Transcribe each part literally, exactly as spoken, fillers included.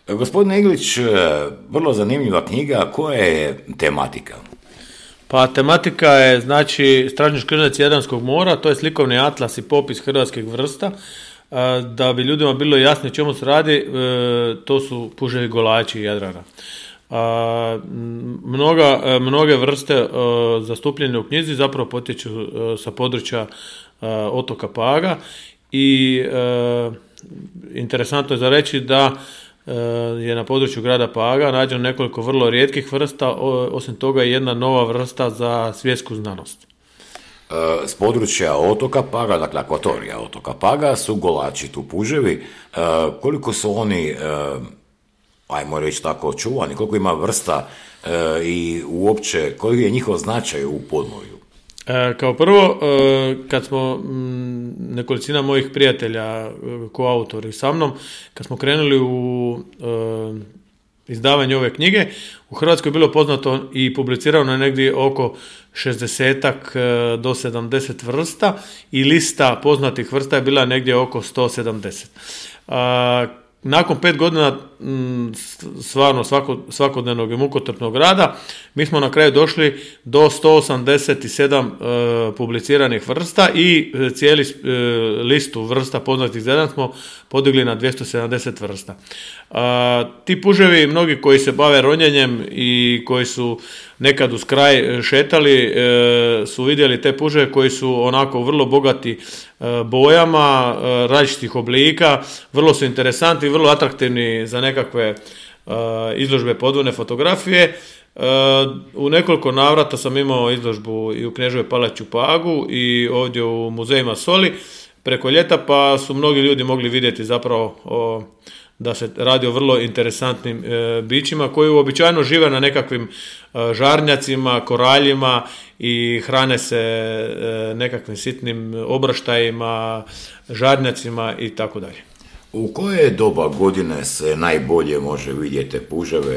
Gospodine Iglić, vrlo zanimljiva knjiga, koja je tematika? Pa tematika je, znači, Stražnji škrnec Jadranskog mora, to je slikovni atlas i popis hrvatskih vrsta. Da bi ljudima bilo jasno o čemu se radi, to su puževi golači Jadrana. Mnoga, mnoge vrste zastupljene u knjizi zapravo potječu sa područja otoka Paga i interesantno je za reći da je na području grada Paga nađeno nekoliko vrlo rijetkih vrsta, osim toga je jedna nova vrsta za svjetsku znanost. S područja otoka Paga, dakle akvatorija otoka Paga, su golači tu puževi. Koliko su oni, ajmo reći tako, čuvani, koliko ima vrsta i uopće koji je njihov značaj u podmorju? Kao prvo, kad smo nekolicina mojih prijatelja, koautori sa mnom, kad smo krenuli u izdavanje ove knjige, u Hrvatskoj je bilo poznato i publicirano negdje oko šezdesetak do sedamdeset vrsta i lista poznatih vrsta je bila negdje oko sto sedamdeset. Nakon pet godina stvarno svako, svakodnevnog i mukotrpnog rada, mi smo na kraju došli do sto osamdeset sedam e, publiciranih vrsta i cijeli e, listu vrsta poznatih za jedan smo podigli na dvjesto sedamdeset vrsta. E, ti puževi, mnogi koji se bave ronjenjem i koji su nekad uz kraj šetali, e, su vidjeli te puževe koji su onako vrlo bogati e, bojama, e, različitih oblika, vrlo su interesantni, vrlo atraktivni za nekakve uh, izložbe podvodne fotografije. Uh, u nekoliko navrata sam imao izložbu i u Kneževoj palači u Pagu i ovdje u muzejima Soli preko ljeta, pa su mnogi ljudi mogli vidjeti zapravo o, da se radi o vrlo interesantnim uh, bićima koji uobičajeno žive na nekakvim uh, žarnjacima, koraljima i hrane se uh, nekakvim sitnim obraštajima, žarnjacima i tako dalje. U koje doba godine se najbolje može vidjeti puževe?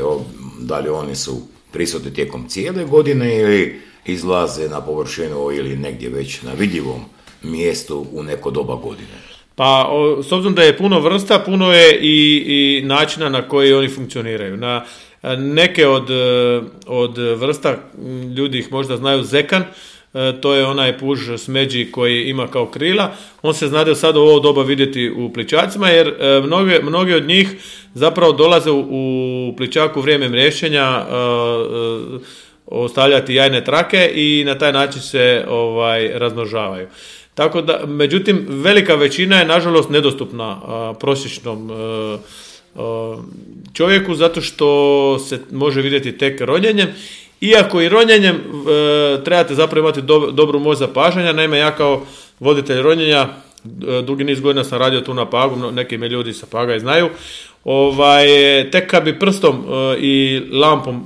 Da li oni su prisutni tijekom cijele godine ili izlaze na površinu ili negdje već na vidljivom mjestu u neko doba godine? Pa, s obzirom da je puno vrsta, puno je i, i načina na koji oni funkcioniraju. Na neke od, od vrsta, ljudi ih možda znaju, zekan, to je onaj puž smeđi koji ima kao krila. On se znade sad u ovo doba vidjeti u plićacima, jer mnoge, mnoge od njih zapravo dolaze u, u plićaku vrijeme mriješćenja ostavljati jajne trake i na taj način se ovaj razmnožavaju. Tako da, međutim, velika većina je nažalost nedostupna a, prosječnom a, a, čovjeku zato što se može vidjeti tek ronjenjem. Iako i ronjenjem e, trebate zapravo imati do, dobru moć zapažanja, naime ja kao voditelj ronjenja, e, dugi niz godina sam radio tu na Pagu, neki me ljudi sa Paga i znaju, ovaj, tek kad bi prstom e, i lampom e,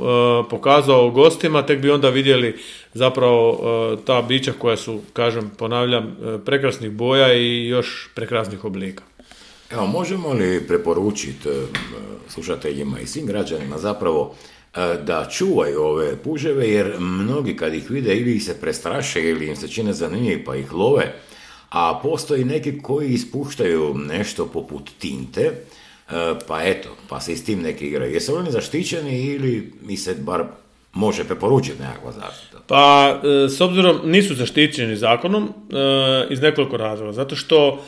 pokazao gostima, tek bi onda vidjeli zapravo e, ta bića koja su, kažem, ponavljam, e, prekrasnih boja i još prekrasnih oblika. Evo, možemo li preporučiti e, slušateljima i svim građanima zapravo da čuvaju ove puževe, jer mnogi kad ih vide ili ih se prestraše ili im se čine zanimljivi pa ih love, a postoji neki koji ispuštaju nešto poput tinte, pa eto, pa se i s tim neki igraju. Jesu oni zaštićeni ili mi se bar može preporučiti nekakva zaštita? Pa, s obzirom nisu zaštićeni zakonom iz nekoliko razloga, zato što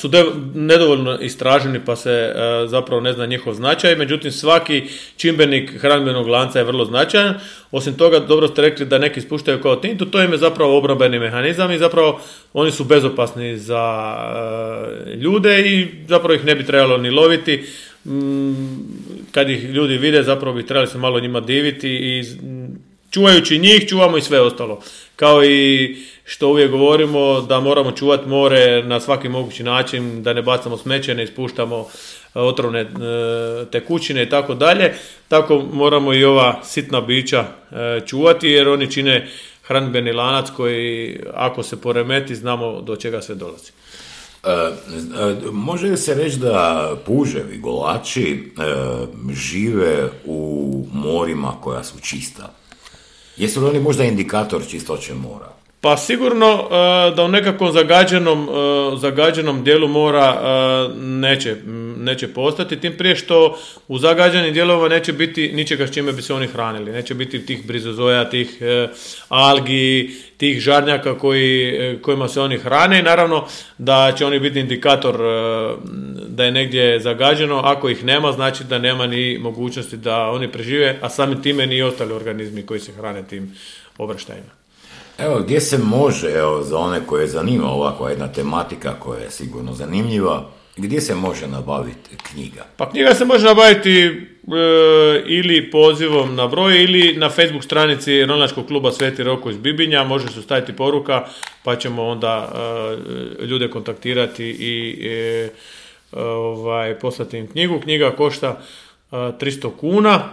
su de, nedovoljno istraženi pa se uh, zapravo ne zna njihov značaj, međutim svaki čimbenik hranidbenog lanca je vrlo značajan. Osim toga, dobro ste rekli da neki ispuštaju kao tintu, to im je zapravo obrambeni mehanizam i zapravo oni su bezopasni za uh, ljude i zapravo ih ne bi trebalo ni loviti. Mm, kad ih ljudi vide, zapravo bi trebali se malo njima diviti i čuvajući njih, čuvamo i sve ostalo. Kao i što uvijek govorimo da moramo čuvati more na svaki mogući način, da ne bacamo smeće, ne ispuštamo otrovne tekućine i tako dalje. Tako moramo i ova sitna bića čuvati jer oni čine hranidbeni lanac koji ako se poremeti znamo do čega sve dolazi. E, e, može li se reći da puževi, golači e, žive u morima koja su čista? Jesu li oni možda indikator čistoće mora? Pa sigurno da u nekakvom zagađenom, zagađenom dijelu mora neće, neće postati, tim prije što u zagađenim dijelovima neće biti ničega s čime bi se oni hranili. Neće biti tih brizozoja, tih e, algi, tih žarnjaka koji, e, kojima se oni hrane i naravno da će oni biti indikator e, da je negdje zagađeno. Ako ih nema, znači da nema ni mogućnosti da oni prežive, a samim time ni ostali organizmi koji se hrane tim obraštajima. Evo, gdje se može, evo, za one koje zanima ovakva jedna tematika koja je sigurno zanimljiva, gdje se može nabaviti knjiga? Pa knjiga se može nabaviti e, ili pozivom na broj ili na Facebook stranici Ronilačkog kluba Sveti Roko iz Bibinja, može se staviti poruka pa ćemo onda e, ljude kontaktirati i e, ovaj, poslati im knjigu. Knjiga košta e, tristo kuna.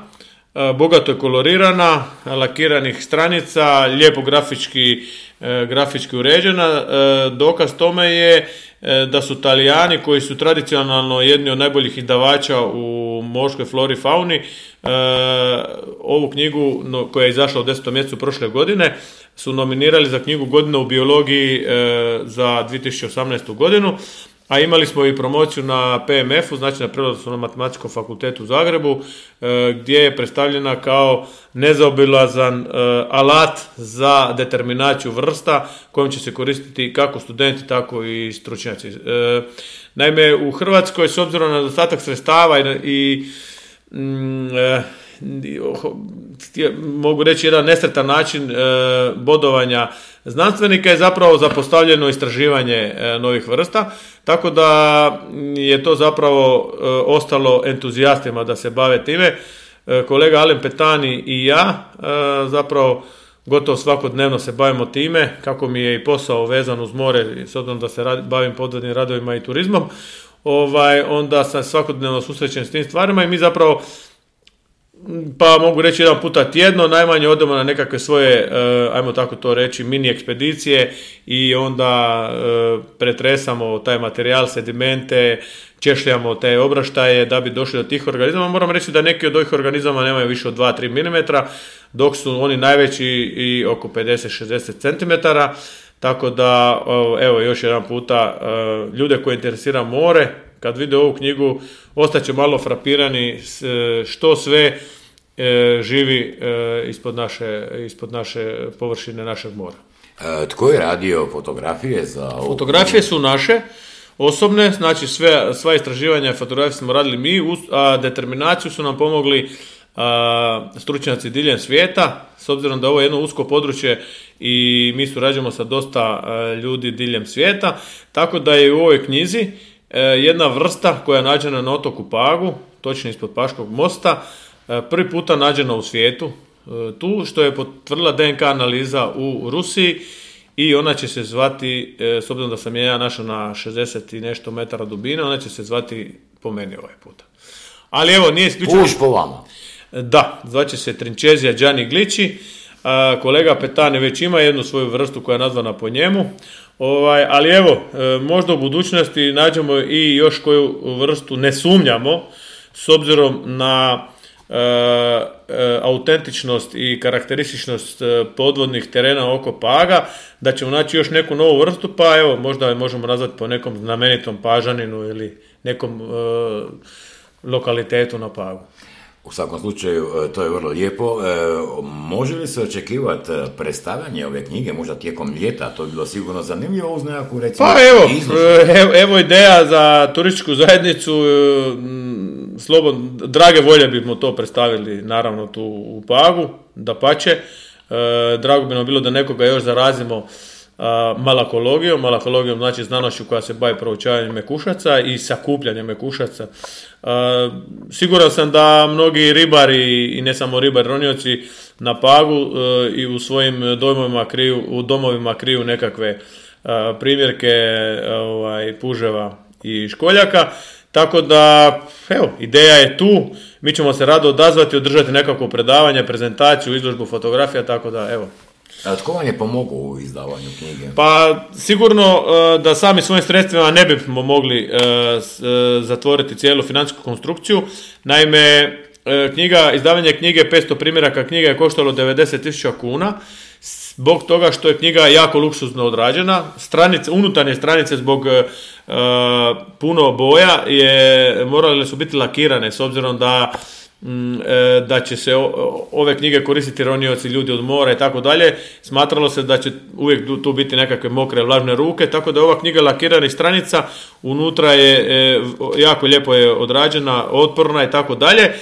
Bogato je kolorirana, lakiranih stranica, lijepo grafički, grafički uređena. Dokaz tome je da su Talijani, koji su tradicionalno jedni od najboljih izdavača u morskoj flori i fauni, ovu knjigu koja je izašla u desetom mjesecu prošle godine su nominirali za knjigu godine u biologiji za dvije tisuće osamnaestu godinu. A imali smo i promociju na P M F-u, znači na Prirodoslovnom matematičkom fakultetu u Zagrebu, gdje je predstavljena kao nezaobilazan alat za determinaciju vrsta kojom će se koristiti kako studenti, tako i stručnjaci. Naime, u Hrvatskoj, s obzirom na nedostatak sredstava i, i mogu reći jedan nesretan način e, bodovanja znanstvenika je zapravo zapostavljeno istraživanje e, novih vrsta, tako da je to zapravo e, ostalo entuzijastima da se bave time. E, kolega Alen Petani i ja e, zapravo gotovo svakodnevno se bavimo time, kako mi je i posao vezan uz more, s obzirom da se radi, bavim podvodnim radovima i turizmom, ovaj, onda sam svakodnevno susrećen s tim stvarima i mi zapravo, pa mogu reći jedan puta tjedno, najmanje odemo na nekakve svoje, ajmo tako to reći, mini ekspedicije i onda pretresamo taj materijal, sedimente, češljamo te obraštaje da bi došli do tih organizama. Moram reći da neki od ovih organizama nemaju više od dva do tri milimetra, dok su oni najveći i oko pedeset do šezdeset centimetara. Tako da, evo, još jedan puta, ljude koji interesira more, kad vide ovu knjigu, ostaće malo frapirani što sve živi ispod naše, ispod naše površine našeg mora. E, tko je radio fotografije za ovu? Fotografije su naše, osobne, znači sve, sva istraživanja fotografije smo radili mi, a determinaciju su nam pomogli a, stručnjaci diljem svijeta, s obzirom da ovo je jedno usko područje i mi surađujemo sa dosta a, ljudi diljem svijeta, tako da je u ovoj knjizi a, jedna vrsta koja je nađena na otoku Pagu, točno ispod Paškog mosta, a, prvi puta nađena u svijetu, a, tu što je potvrdila D N K analiza u Rusiji i ona će se zvati, a, s obzirom da sam je ja našao na šezdeset i nešto metara dubine, ona će se zvati po meni ovaj puta. Ali evo, nije isključivo... Puš po vama. Da, zvaće se Trinčezija Gianni Gliči. A, kolega Petani već ima jednu svoju vrstu koja je nazvana po njemu. Ovaj, ali evo, e, možda u budućnosti nađemo i još koju vrstu, ne sumnjamo, s obzirom na e, e, autentičnost i karakterističnost podvodnih terena oko Paga, da ćemo naći još neku novu vrstu, pa evo, možda je možemo nazvati po nekom znamenitom pažaninu ili nekom e, lokalitetu na Pagu. U svakom slučaju, to je vrlo lijepo. E, može li se očekivati predstavljanje ove knjige, možda tijekom ljeta? To bi bilo sigurno zanimljivo uz nekakvu, recimo, pa evo, evo, evo ideja za turističku zajednicu. Slobodno, drage volje bismo to predstavili, naravno, tu u Pagu, dapače. E, drago bi nam bilo da nekoga još zarazimo a, malakologijom. Malakologijom znači znanošću koja se bavi proučavanjem mekušaca i sakupljanjem mekušaca. A, siguran sam da mnogi ribari i ne samo ribari, ronioci na Pagu a, i u svojim domovima kriju, u domovima kriju nekakve a, primjerke a, ovaj, puževa i školjaka. Tako da, evo, ideja je tu, mi ćemo se rado odazvati, održati nekakvo predavanje, prezentaciju, izložbu fotografija, tako da, evo. A tko vam je pomogao u izdavanju knjige? Pa, sigurno da sami svojim sredstvima ne bismo mogli zatvoriti cijelu financijsku konstrukciju. Naime, knjiga, izdavanje knjige, petsto primjeraka knjiga je koštalo devedeset tisuća kuna, zbog toga što je knjiga jako luksuzno odrađena, stranice, unutarnje stranice zbog puno boja, je, morale su biti lakirane s obzirom da da će se ove knjige koristiti ronioci, ljudi od mora i tako dalje. Smatralo se da će uvijek tu biti nekakve mokre, vlažne ruke, tako da je ova knjiga lakiranih stranica, unutra je jako lijepo je odrađena, otporna i tako dalje.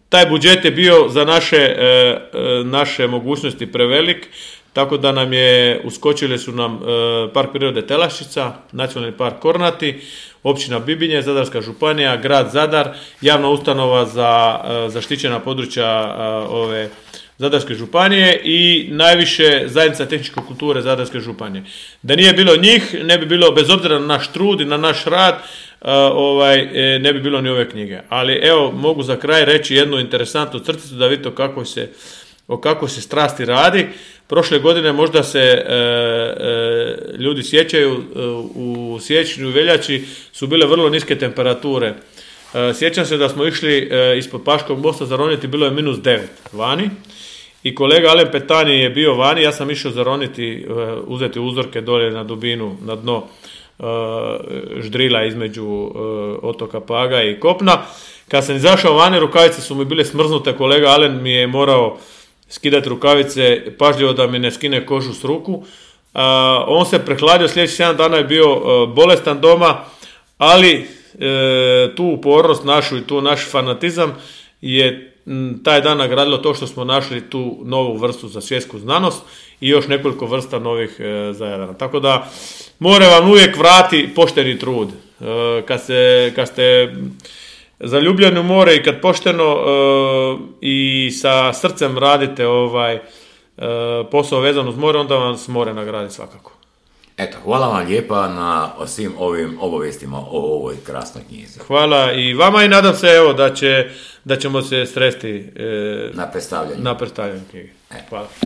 Taj budžet je bio za naše, naše mogućnosti prevelik, tako da nam je, uskočili su nam Park prirode Telaščica, Nacionalni park Kornati, općina Bibinje, Zadarska županija, grad Zadar, javna ustanova za zaštićena područja ove Zadarske županije i najviše zajednica tehničke kulture Zadarske županije. Da nije bilo njih, ne bi bilo, bez obzira na naš trud i na naš rad, ovaj, ne bi bilo ni ove knjige. Ali evo, mogu za kraj reći jednu interesantnu crticu da vidite o kakvoj se, o kakvoj se strasti radi. Prošle godine možda se e, e, ljudi sjećaju, e, u siječnju i veljači su bile vrlo niske temperature. E, sjećam se da smo išli e, ispod Paškog mosta zaroniti, bilo je minus devet vani i kolega Alen Petani je bio vani, ja sam išao zaroniti, e, uzeti uzorke dolje na dubinu, na dno e, ždrila između e, otoka Paga i kopna. Kad sam izašao vani, rukavice su mi bile smrznute, kolega Alen mi je morao skidati rukavice, pažljivo da mi ne skine kožu s ruku. Uh, on se prehladio, sljedeći sedam dana je bio uh, bolestan doma, ali uh, tu upornost našu i tu naš fanatizam je m, taj dan nagradilo to što smo našli tu novu vrstu za svjetsku znanost i još nekoliko vrsta novih uh, za Jadran. Tako da more vam uvijek vrati pošteni trud. Uh, kad, se, kad ste zaljubljeni u more i kad pošteno uh, i sa srcem radite ovaj uh, posao vezan uz more, onda vam se more nagradi svakako. Eto, hvala vam lijepa na svim ovim obavijestima o ovoj krasnoj knjizi. Hvala i vama i nadam se evo da, će, da ćemo se sresti uh, na predstavljanju. Na predstavljanju knjige. Hvala.